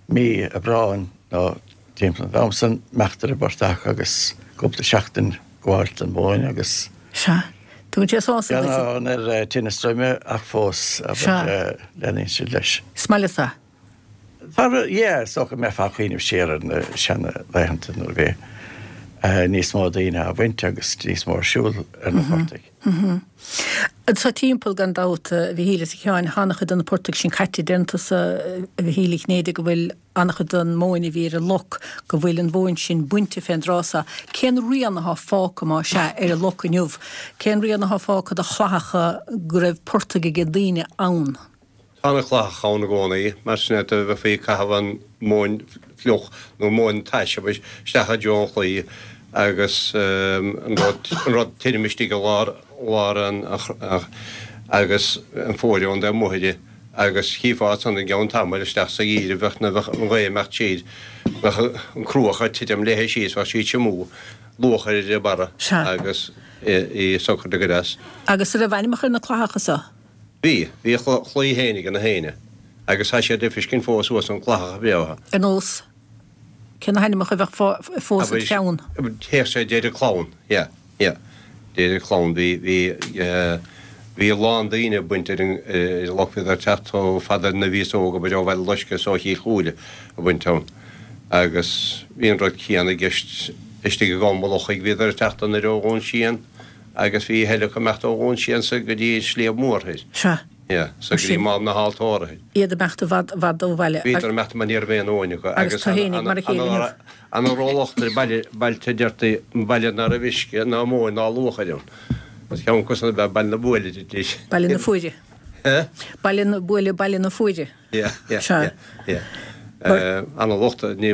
mí Aibreáin nó timpeall an am san, imeacht ar an bportach agus cúpla seachtain gabháilt don mhóin agus. Sea. Tugann sé sásamh duit. Gan ar tinneas droime ach fós, abair, leanann siad leis. Is maith leat é. Tá, yeah, is dócha go mbeifeá ag cuimhneamh siar ar na seanlaethanta nuair a bhí níos mó daoine á bhaint agus níos mó ar siúl ar na portaigh. Anso timpeall, gan dabht, a Mhichíl is a Sheáin, tá an-chuid de na portaigh sin caite. Deireann tusa, a Mhichíl Uí Chinnéide, go bhfuil an-chuid den mhóin a bhí ar an loc, go bhfuil an mhóin sin bainte fén dtráth so. Cén rian athá fágtha, má sea, ar an loc inniu? Cén rian athá fágtha de chlathacha go raibh portaigh aige daoine ann? Tá na clathacha ann i gcónaí, mar sin é, do bheifí ag caitheamh an mhóin fliuch nó móin tais isteach i dtreo an chlaí agus an rud, an rud tirim istigh i lár, lár an, agus an fuair ón dtaobh amuigh di agus chífeá ansan i gceann tamaill isteach sa gheimhreadh bheadh na, bheadh an ghaoth ag imeacht siar, bheadh an cruach ag titim léithe síos, bheadh sí ag tiomú luachair ar a barra agus í socair go deas. Agus an raibh ainmneacha ar na clathacha so? Bhí. Bhí a chlaí féin ag na héinne agus tá siad le feiscint fós thuas an clathacha bhreátha. Ar nós, cé na hainmneacha a bheadh fós id cheann? Théadh sé deireadh clann, yeah, yeah. Deireadh clann. Bhí, bhí, bhí a lán daoine ag baint ar an, ar an loc, bhíodar ag teacht chomh fada nuair a bhíos óg, abair ó Bhaile Loiscthe is ó Chill Chúile ag baint ann. Agus bhí an rud céanna i gceist istigh i gCom Lochaigh, bhíodar ag teacht anoir ó Dhún Síon. Agus bhí a thuilleadh ag imeacht ó Dhún Síon so go dtí an Sliabh Mór thoir. Sea. Yeah, so go dtí Mám na hAltóra thoir. Iad ag imeacht i bhfad, i bhfad ó bhaile. Bhíodar ag imeacht mar ní raibh aon mhóin acu. Agus tú fhéinig mar a chéile inniu. Ana rólocht ar baile, bailte deirtí, baile ná raibh uisce ná móin ná luachair ann. Agus ceann acu san ab ea Baile na Buaile, deirtís. Baile na Fuaire. Eh? Baile na Buaile, Baile na Fuaire. Yeah, yeah, yeah, yeah. Ana locht ní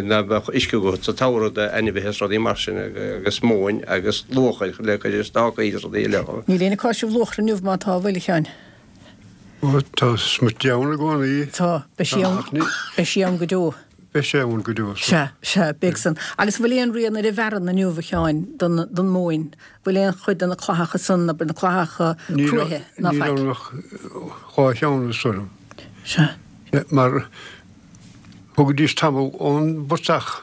ná beadh uisce agat sa tsamhradh d'ainmhithe is rudaí mar sin agus móin agus luachair le cur ar stácaí is rudaí eile. Níl éinne ag áiseamh luachra inniu má tá, an bhfuil, a Sheáin? Ó, tá smut di ann i gcónaí. Tá, beidh sí ann, beidh sí ann go deo. Beidh sé ann go deo. Sea, sea, beidh san. Agus an bhfuil aon rian ar an bhfearann inniu, a Sheáin, don, don mhóin? Bhfuil aon chuid de na clathacha san, abair na clathacha cruaiche, ná faic? Níl ann ach dhá cheann, is dóigh liom. Sea. Mar thugaidís tamall ón bportach,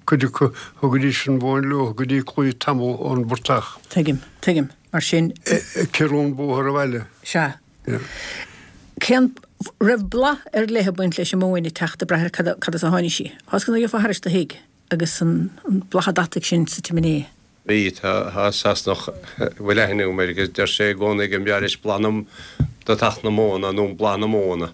cuid acu, thugaidís an mhóin leo go dtí claí tamall ón bportach. Tuigim, tuigim. Mar sin. Ag ciorrú an bóthar abhaile. Sea. Cén, raibh blas ar leith ag baint leis an móin ag teacht ag brath ar cad, cad as a tháinig sí. Tá 'fhios agat nuair a gheofá thairis do thigh agus an, an blas deataigh sin sa tsiméiné. Bhí, tá, tá Sasanach a bhfuil aithne agam air agus deir sé i gcónaí go mbreá leis blas na, deatach na móna nó blas na móna.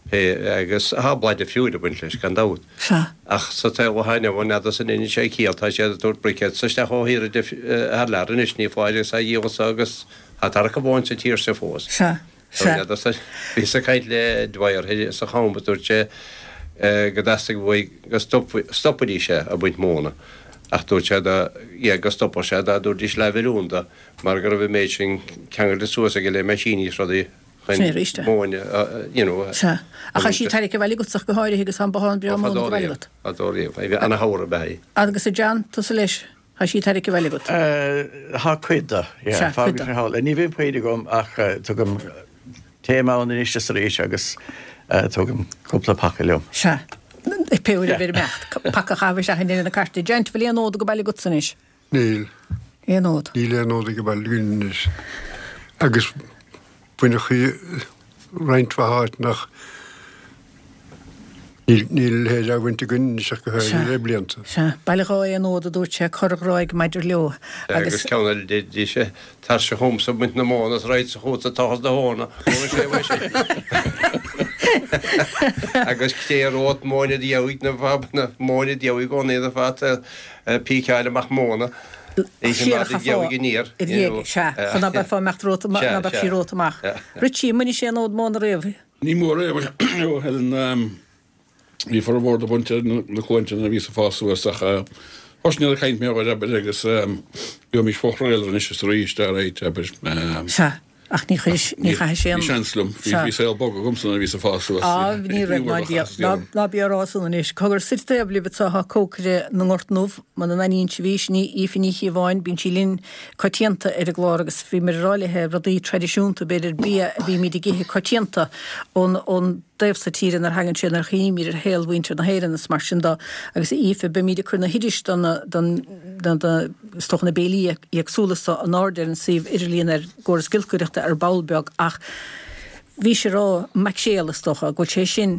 Pé, agus tá blas difriúil ag baint leis, gan dabht. Sea. Ach sa tsaol atá inniu ann, n'fheadarsa an ndeineann sé ciall, tá siad ag tabhairt briquettes isteach ó thíortha thar lear anois, ní foláir agus á dhíol anso agus tá tarrac amháin sa tír seo fós. Sea. Sea. N'fheadarsa, bhíos ag caint le Dwyer thoir sa Cham agus dúirt sé go dteastaigh uaidh go stopfaidís é ag baint móna ach dúirt sé dá, yeah, go stopfadh sé dá dtabharfaidís leathmhilliún dó mar go raibh an méid sin ceangailte suas aige le meaisíní is rudaí. Sin é arís é. Móin, you know. Sea. Ach tá sí tarraicthe abhaile agatsa ach go háirithe agus tá an bothán breá móna go bhaile agat. Fadó riamh. Bhí ana-shamhradh ab ea í. Agus a John, tusa leis, tá sí tarraicthe abhaile agat. Tá cuid de, yeah. Sea, cuid de. Ní bhíonn puinn agam ach tugaim Téim ann anois is arís agus tugaim cúpla paca liom. Sea. Pé uair a bheir imeacht, paca a chaitheamh isteach i ndeireadh na cairte. Janet, bhfuil aon fhód ag baile agatsa anois? Níl. Aon fhód? Níl aon fhód ag baile againn anois. Agus baineadh í roinnt mhaith áit nach Níl a leithéid á bhaint againn anois ach go háirithe le blianta. Sea. Baile dhá aon fhód, a dúirt sé, corrghráig maidir leo. Agus ceann eile de, deir sé, tar-sa chugamsa ag baint na móna is raghadsa chugatsa ag tochas do thóna. Ó, sé uaidh sin. Agus cé romhat móin a dheabhaidh na fab, na móin a dheabhaidh i gcónaí na fad píceáil amach móna. Siar a chaithfeá aniar, sea, chun ná beifeá imeacht romhat, ná beadh sí romhat amach. Richie, an mbainfidh sé an fhód móna riamh? Ní mór é, ó Helen. Bhí formhór de bainte ar na cluainte nuair a bhíos ag fás suas ach thosnaíodar ag caint mé air, abair, agus bímís fóchraoladh anois is arís, alright, abair. Sea, ach ní chuir, ní chaithfidh sé an. Bhí seans liom, bhí saol bog agamsa nuair a bhíos ag fás suas. Á, ní raibh, ná Dia, ná bí á rá san anois. Cogar, suite taobh libh anseo tá cócaire na nGort nDubh, muna n-aithníonn sibh í, sin í Aoife Ní Chíobháin, bíonn sí linn coitianta ar an gclár agus bhíomar ag rá léithe rudaí traidisiúnta, b'fhéidir bia a bhímid ag ithe coitianta ón, ón. dtaobh so tíre nuair a thagann sé, nuair a chuimhnímid ar shaol mhuintir na hÉireann is mar sin de. Agus a Aoife, beimid ag cur na hoidis do na, don, do, do, is dócha na béilí éagsúla so in airde ar an suíomh idirlíon ar gcóras giolcaireachta ar ball beag ach bhís ag rá maicréal is dócha, go bhfuil sé sin,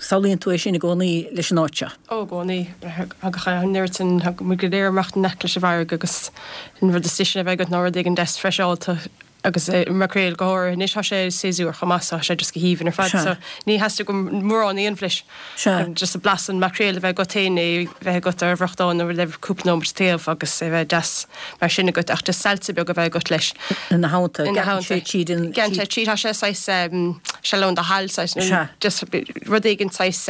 samhlaíonn tú é sin i gcónaí leis an áit seo. Ó, i gcónaí. Thagadh an oiread sin, thagadh muid go léir amach in aice leis an bhfarraige agus an rud is deise a bheith agat ná rud éigin deas freiseálta. Agus maicréal go háirithe. Anois tá sé séasúr chomh maith so tá sé just go haoibhinn ar fad so ní theastaíonn mórán aon bhlis. Just blas an maicréil a bheith agat féin, é bheith agat ar bhriochtán nó le cúpla nóiméad taobh agus é bheith deas mar sin agat ach just salsa beag a bheith agat leis. Ina theannta. Ina theannta. Gearrann sé tríd an. Gearrann sé tríd, tá sé saghas sealón do shal saghas nó just rud éigin saghas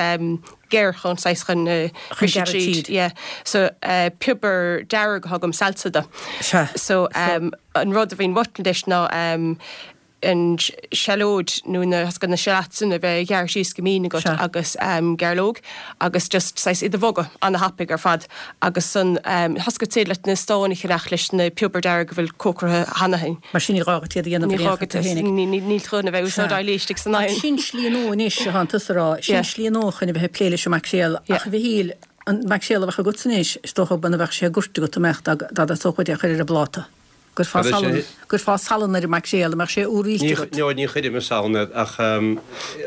géar chun saghas chun briseadh tríd. Yeah. So piobar dearg a thugaim salsa do. Sea. So an rud a bhíonn uait leis ná an seallóid nó na na shallots sin a bheith gearrtha síos go mín agat agus gairleog agus just saghas iad a bhogadh ana-thapaidh ar fad agus san thoscaigh tú leat na stáin a cheannach leis na piobar dearg a bhfuil cócairithe cheana féin. Mar sin ní gá duit iad a dhéanamh Ní gá duit níl tú chun a bheith úsáid éilís ag san oigheann. Sin slí nua anois, a thánn tusa a rá, sin slí nua chun a bheith ag plé leis an maicréal ach a Mhichíl, an maicréal a bheadh agatsa anois, is dócha muna bheadh sé goirte agat, an mbeadh, dá dteastódh uait é a chur ar an bpláta. Gcuirfeá salann, gcuirfeá salann ar an maicréal, an mbeadh sé úr-rilte agat? Ní, ní chuirim salann air ach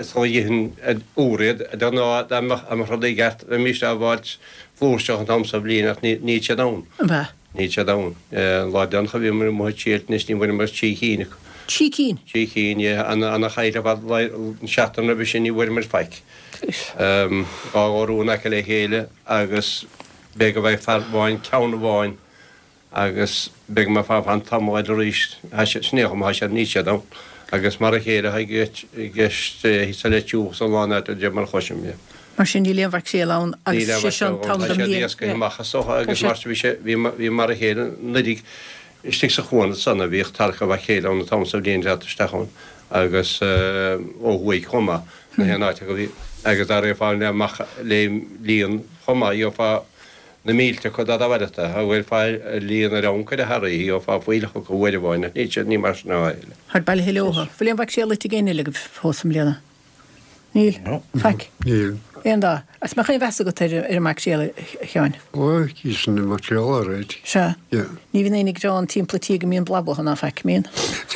sula n-ithinn úr iad, de ghnáth dá mbeadh rudaí i gceart bheimis á bhfáilt flúirseach an t-am sa bhliain ach níl siad ann. An ea? Níl siad ann. An lá deireanach a bhíomar amuigh ag triailt anois ní bhfuaireamar trí chinn acu. Trí cinn? Trí cinn, yeah. Ana-chaill ar fad an seachtain roimhe sin ní bhfuaireamar faic. Dhá dhorú in aice le chéile agus b'fhéidir go bhfaigheadh fear amháin ceann amháin agus b'fhéidir go mbeifeá ag fan tamall eile arís. Tá siad, sin é chomh maith, níl siad ann. Agus mar a chéile atá i gceist thíos sa Leitir Thuaidh is a lán áit de mar a chloisim, yeah. Mar sin níl aon mhaicréal ann agus Níl aon sé seo an mhaicréal ann. t-am Tá den siad bhliain. éascaithe amach is dócha agus mar bhí sé, bhí, bhí mar a chéile anuraidh istigh sa chuan ansan a bhíodh tarrac an mhaicréil ann an t-am sa bhliain teacht isteach ann agus ó thuaidh chomh maith, na haon áit acu bhí agus dá raghfá le amach le líon chomh maith gheofá na mílte acu dá bhfairfeadh tú, a bhfuil fá líon ar am cuid a tharraí gheofá fuílleach acu uair amháin ach níl siad, ní mar sin atá eile. Táid bailithe leothu. Bhfuil aon mhaicréal ite ag éinne eile agaibh fós i mbliana? Níl? Faic? Níl. Aon dath? Agus mbeadh aon mheas agat ar ar an maicréal, a Sheáin? Ó, íosfainn an maicréal alright. Sea. Yeah. Ní bhíonn éinne ag gearán timpeall an tí go mbíonn blab uathu ná faic, mbíonn?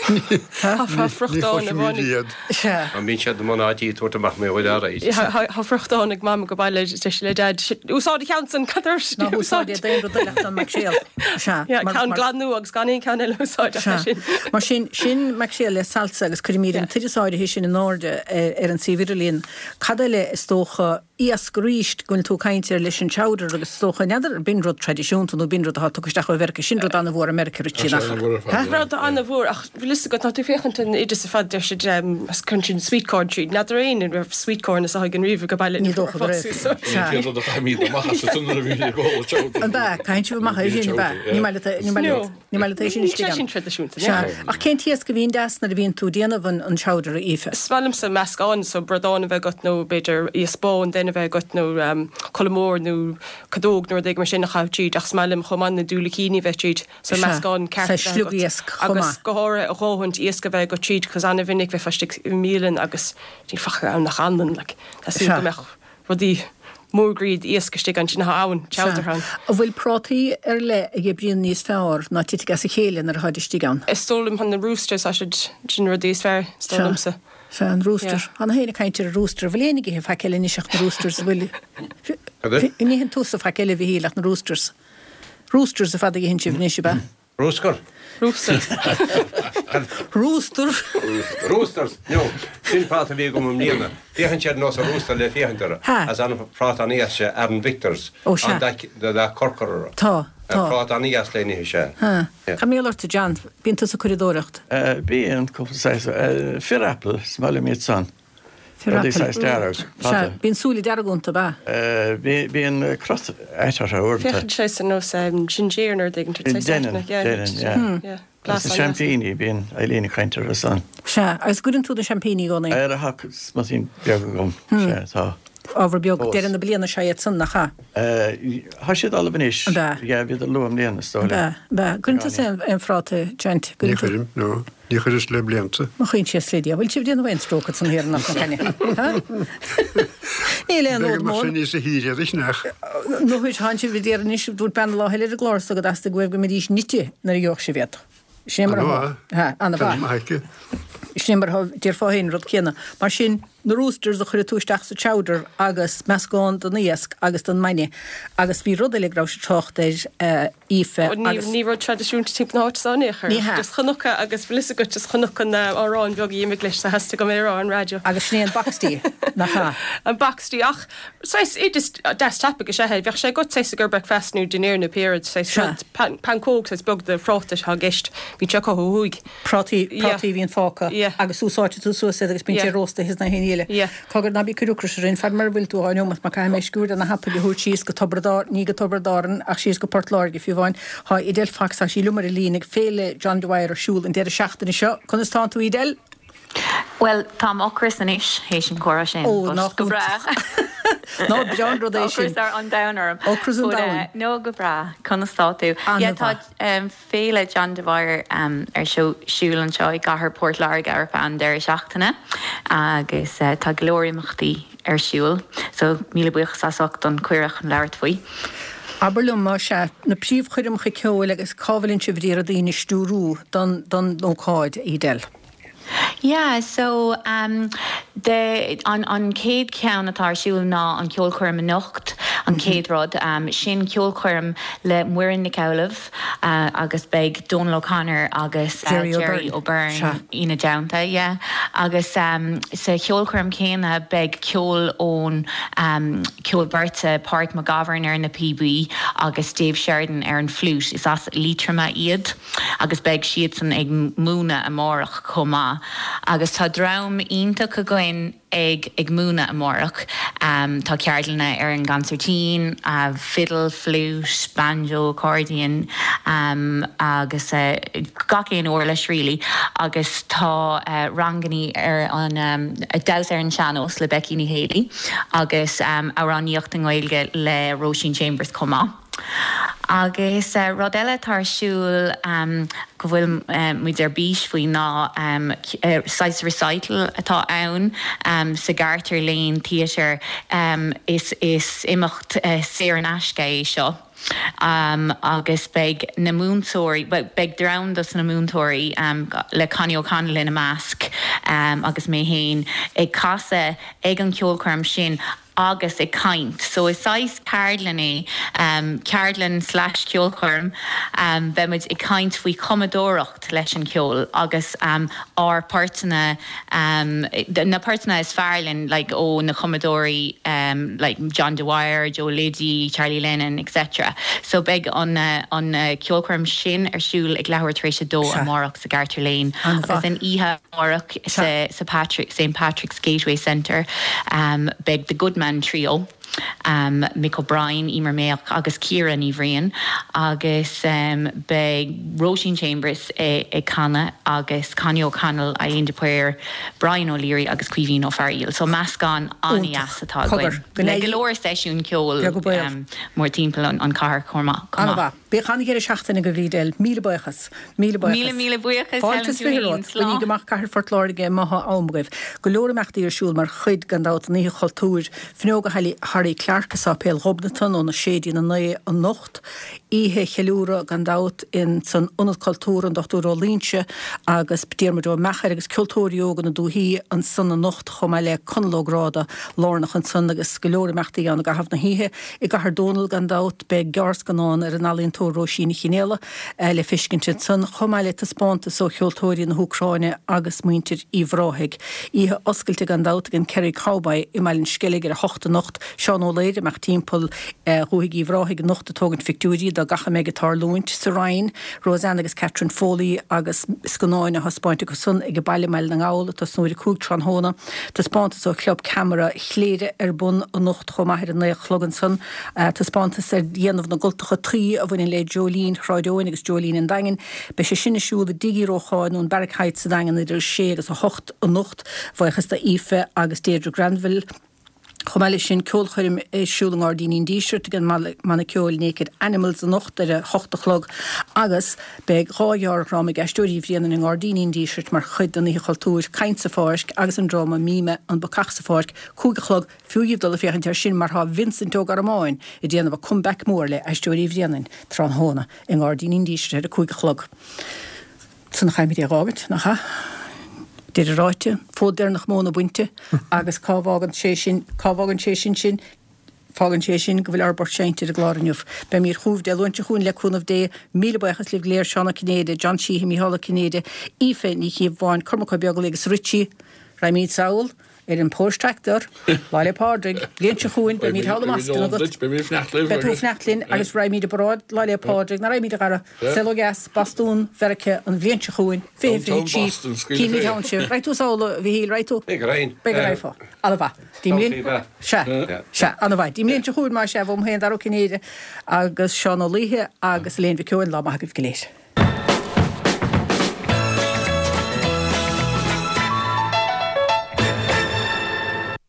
Tá Ní friochtán chloisimid amháin. iad. Sea. An mbíonn siad i mbun áit í tabhairt amach mé bhfuil alright. Tá friochtán ag Mam go baile deir sí le Dad, úsáid an ceann san, cad ar Ná húsáid é d'aon rud eile ach don maicréal. Sea. Yeah, ceann glan nua agus gan aon ceann eile a úsáid ach é Sea. sin. Mar sin, sin maicréal le salsa agus cuirimid an t-oideas áirithe sin in airde ar an suíomh idirlíon. Cad eile is dócha, iasc arís, go bhfuil tú ag caint air leis an chowder agus is dócha, n'fheadar, b'in rud traidisiúnta nó b'in rud atá tugtha isteach ó Mheiriceá, sin rud an-mhór i Meiriceá, Richie, nach ea? Rud an-mhór ach bhfuil fhios agat, ná tú ag féachaint an oideas ar fad, deir siad, cuireann siad sweet corn tríd, n'fheadar éinne an raibh sweet corn is a thug an riamh go baile Ní dócha go raibh. Sea. Cén rud a chaithimid amach as an nuair a bhíonn ag ól chowder? An ea, caitheann sibh amach é sin, an ea? Ní maith leat, ní maith leat. Ní maith leat é sin Níl istigh sé ann. sin traidisiúnta, Sea. ní. Ach cén t-iasc a bhíonn deas nuair a bhíonn tú ag déanamh an chowder, a Aoife? Is maith liomsa meascán, so bradán a bheith agat nó b'fhéidir iasc bán den féin a bheith agat nó colla mór nó cadóg nó rud éigin mar sin a chaitheamh tríd ach is maith liom chomh maith na diúilicíní a bheith tríd so meascán ceart a bheith agat agus go háirithe a dhóthaint iasc a bheith agat tríd cos an-mhinic bheifeá istigh i mbialann agus níl faic ann ach anlann like tá súil go mbeadh rudaí mór-groí iasc istigh ansin atá ann, chowder ann. An bhfuil prátaí ar leith a oibríonn níos fearr ná titfidh as a chéile nuair atáid istigh ann? Is dóigh liom na roosters, tá siad, sin na rudaí is fearr, is dóigh liomsa. Sea, an rooster. Tá gach éinne ag caint ar an rooster. An bhfuil éinne ag ithe faic eile anois ach na roosters, an bhfuil? An itheann tusa faic eile, a Mhichíl, ach na roosters? Roosters ar fad a itheann sibh anois, ab ea? Bruscar. Rooster. Rooster. Roosters. No, sin práta a bhí agam i mbliana. Féachann siad ar nós an rooster le féachaint orthu. Ha. As an práta an-dheas sé Aaron Victors. Ó, sea. An dath dath corcra orthu. Tá, tá. Práta an-dheas le n-ithe sé. Ha. Cad mar gheall ort, John? Bíonn tusa ag curadóireacht? Bíonn, cúpla saghas. Fir Apple, is maith liom iad san. Rudaí saghas dearg, fada. Sea, bíonn súile dearga iontu, ab ea? Bíonn crot ait orthu uaireanta. Féachann sé ar nós ginger nó rud éigin. Déanann, déanann, yeah. Agus na seaimpíní, bíonn Eileen ag caint orthu san. Sea, agus gcuireann tú na seaimpíní i gcónaí? Ar a tá smutín beag agam, sea, tá. Ábhar beag, deireadh na bliana is ea iad san, nach ea? Tá siad ullamh anois. Ab ea? Yeah, bhíodar luath i mbliana, is dóigh liom. Ab ea, ab ea. Cuireann tusa aon phráta, John? Ní chuirim, no. Ní chuireas le blianta. Mo choinsias le Dia, bhfuil sibh ag déanamh aon stróc ansan thiar in Áth na Caine? Ha? Níl aon Bheidh fhód mar mór. sin níos a thír iad nach. No, tánn sibh ag iarraidh anois, dúirt bean an lá eile ar an gclár so go dteastaigh uaibh go mbeidís nite nuair a gheobhadh sibh iad. Sin é mar atá. Ha, ana-mhaith. Ana-mhaith aici. Sin é mar atá, déarfá féin an rud céanna. Mar sin, na roosters a chuirfidh tú isteach sa chowder agus meascán den iasc agus den mbainne. Agus bhí rud eile go raibh sibh ag trácht air, Aoife, agus. Ní rud traidisiúnta timpeall na háite so in aon chor. Ní hea. Just chonac agus bhfuil fhios agat just chonac an arán beag a d'imigh leis so theastaigh uaim é a rá ar an raidió. Agus sin é an boxty, nach ea? An boxty ach saghas oideas deas tapaidh is ea é. Bheadh sé agat saghas i gcomhair breakfast nó dinnéar nó pé rud, saghas Sea. rud, pancóg saghas beag de phráta atá i gceist. Bíonn sé acu ó thuaidh. Prátaí, prátaí a bhíonn fágtha Yeah. agus úsáidtear tú suas iad agus bíonn sé Yeah. rósta thíos na haon eile. Yeah. Cogar ná bí ag cur ocrais orainn, fad mar a bhfuil tú dhá neomat mar caithfidh mé sciuird ar na hapaill a thabhairt síos go Tiobraid Árann, ní go Tiobraid Árann ach síos go Port Láirge fiú amháin. Tá Edel Fox, tá sí liom ar an líne ag Féile John Dwyer ar siúl an deireadh seachtaine seo. Conas tánn tú Edel? Bhuel, táim ocrach anois théis an comhrá sin, Ó, but nach go breá. Ná breá an rud é sin. Ocras an domhain orm. Ocras an But, domhain. eh, no, go breá. Conas tá tú? Yeah, tá An-mhaith. um, Féile John Dwyer um, ar seo siúl anseo i gcathair Port Láirge ar feadh an deireadh seachtaine agus uh, tá go leor imeachtaí ar siúl, so míle buíochas as ucht an cuireadh chun labhairt faoi. Abair liom más ea, na príomhchoirmeacha ceoil agus cá bhfuil sibh ag iarraidh daoine a stiúrú don don ócáid, Edel? Yeah, so um, the, an, an chéad cheann atá ar siúl ná an ceolchoirm anocht, an chéad rud, um, sin ceolchoirm le Muireann Nic Amhlaoibh uh, agus beidh Donal O'Connor agus uh, Jerry Jerry O'Byrne. O'Byrne Sea. ina dteannta, yeah. Agus um, sa cheolchoirm céanna beidh ceol ón um, ceol beirte Pádraig McGovern ar na píobaí agus Dave Sheridan ar an flute. Is as Liatroim iad agus beidh siadsan ag múineadh amárach chomh maith. Agus tá dream iontach againn ag ag múineadh amárach. Um, tá ceardlanna ar an gconsairtín, uh, fiddle, flute, banjo, accordion um, agus uh, gach aon uirlis really agus tá uh, ranganna ar an um, damhsa ar an sean-nós le Becky Ní Héalaí agus um, amhránaíocht i nGaeilge le Roisin Chambers chomh maith. Agus uh, rud eile atá ar siúl um, go bhfuil um, muid ar bís faoi ná um, uh, saghas recital atá ann um, sa Garter Lane Theatre um, is, is imeacht uh, saor in aisce é seo. Um, agus beidh na múinteoirí beidh dream dos na múinteoirí um, le Connie O'Connell ina measc um, agus mé féin ag casadh ag an ceolchoirm sin agus ag caint. So is saghas ceardlann é um, ceardlann slash ceolchoirm um, beimid ag caint faoi chumadóireacht leis an ceol agus um, ár bportanna um, na portanna is fearr linn like, ó na cumadóirí um, like John Dwyer, Joe Liddy, Charlie Lennon, etc. So beidh an uh, an uh, ceolchoirm sin ar siúl ag leathuair tar éis a dó amárach sa Garter Lane agus an oíche amárach sa, sa Patrick St Patrick's Gateway Centre um, beidh the Goodman Trio um, Mick O'Brien, Emer Mayock agus Ciara Ní Bhriain agus um, beidh Roisin Chambers ag, ag canadh agus Connie O'Connell, Eileen de Paor, Brian O'Leary agus Caoimhín Ó Fearghaíl. So meascán an-deas atá againn. Le go leor seisiún ceoil um, mórthimpeall an, an chathair chomh maith. Bíodh an-deireadh seachtaine agaibh Edel, míle buíochas. Míle buíochas. Míle míle buíochas Fáilte is fiche romhat. Bainigí amach Cathair Phort Láirge má thá am agaibh. Go leor imeachtaí ar siúl mar chuid gan dabht den Oíche Chultúir. Fuinneoga Harry Clarke i Sáipéal Ghobnatan óna sé dtí'n a naoi anocht. Oíche cheiliúradh gan dabht in san Ionad Cultúir an Dochtúir Ó Loingsigh agus Diarmuid Ó Meachair agus Ceoltóirí Óga na Dúichí ansan anocht chomh maith le Conall Ó Gráda lárnach ansan agus go leor imeachtaí ann i gcaitheamh na hoíche. I gCathair Dónall gan dabht beidh gearrscannán ar an ealaíontóir Róisín Ní Chinéala le feiscint ansan, chomh maith le taispeántas ó cheoltóirí na hÚcráine agus muintir Uíbh Ráthaigh. Oíche oscailte gan dabht ag an Kerry Cowboy i mBaile an Sceilg ar a hocht anocht. Seán Ó Laoire amach timpeall Dhúthaigh Uíbh Ráthaigh anocht ag tógaint phictiúirí de gach a mbeidh ag tarlúint sa Rinn. Roseanne agus Catherine Foley agus scannáin á thaispeáint acu san ag baile i mBaile na nGall ag tosnú ar a cúig tráthnóna. Taispeántas ó Chlub Ceamara Chléire ar bun anocht chomh maith ar a naoi a chlog ansan. Taispeántas ar dhéanamh na gcultacha tuí a bhaineann le Jolene Shráid Eoin agus Jolene an Daingin. Beidh sé sin ar siúl i dTigh Uí Rócháin nó an Barrack Heights sa Daingean idir a sé agus a hocht anocht. Buíochas do Aoife agus Deirdre Granville. Chomh maith leis sin, ceolchoirm ar siúl i nGairdíní an Dísirt ag an mbanna ceoil Naked Animals anocht ar a hocht a chlog agus beidh dhá ghearrdhráma ag Aisteoirí Bhréanainn i nGairdíní an Dísirt mar chuid den Oíche Chultúir, Caint sa Pháirc agus an dráma Míme, An Bacach sa Pháirc, cúig a chlog. Fiú dhaoibh dul ag féachaint air sin mar tá Vincent Ó Gormáin ag déanamh a comeback mór le Aisteoirí Bhréanainn tráthnóna i nGairdíní an Dísirt ar a cúig a chlog. San chaithfimid é a dh'fhágaint, nach ea? Deireadh ráite, fód deireanach móna bainte agus cá bhfágann sé sin, cá bhfágann sé sin sinn? Fágann sé sin go bhfuil ár bport seinnte ar an gclár inniu. Beimid chugaibh Dé Luain seo chugainn le cúnamh Dé. Míle buíochas libh go léir, Seán Ó Cinnéide, John Sheehy, Mícheál Ó Cinnéide, Aoife Ní Chíobháin, Cormac Ó Beaglaoich agus Richie. Raghaimid sall ar an Porsche Tractor, Lá 'le Pádraig, bliain seo chugainn, beimid thall i mBoston agat. Beidh tú ag fanacht linn agus raghaimid i bparáid Lá 'le Pádraig, ná raghaimid a Dhara, saol ó dheas, Bostún, Mheiriceá, an bhliain seo chugainn, fiche fiche trí, cífimid ann sibh. Raghaidh tú sall, a Mhichíl, raghaidh tú? Beidh go raghainn. Beidh go raghfá. Ana-mhaith. Dtí mbliain. Sea, sea, ana-mhaith. Dtí mbliain seo chugainn, más ea, uaim féin, Dara Ó Cinnéide agus Seán Ó Laoithe agus Elaine Mhic Eoin, lá maith agaibh go léir.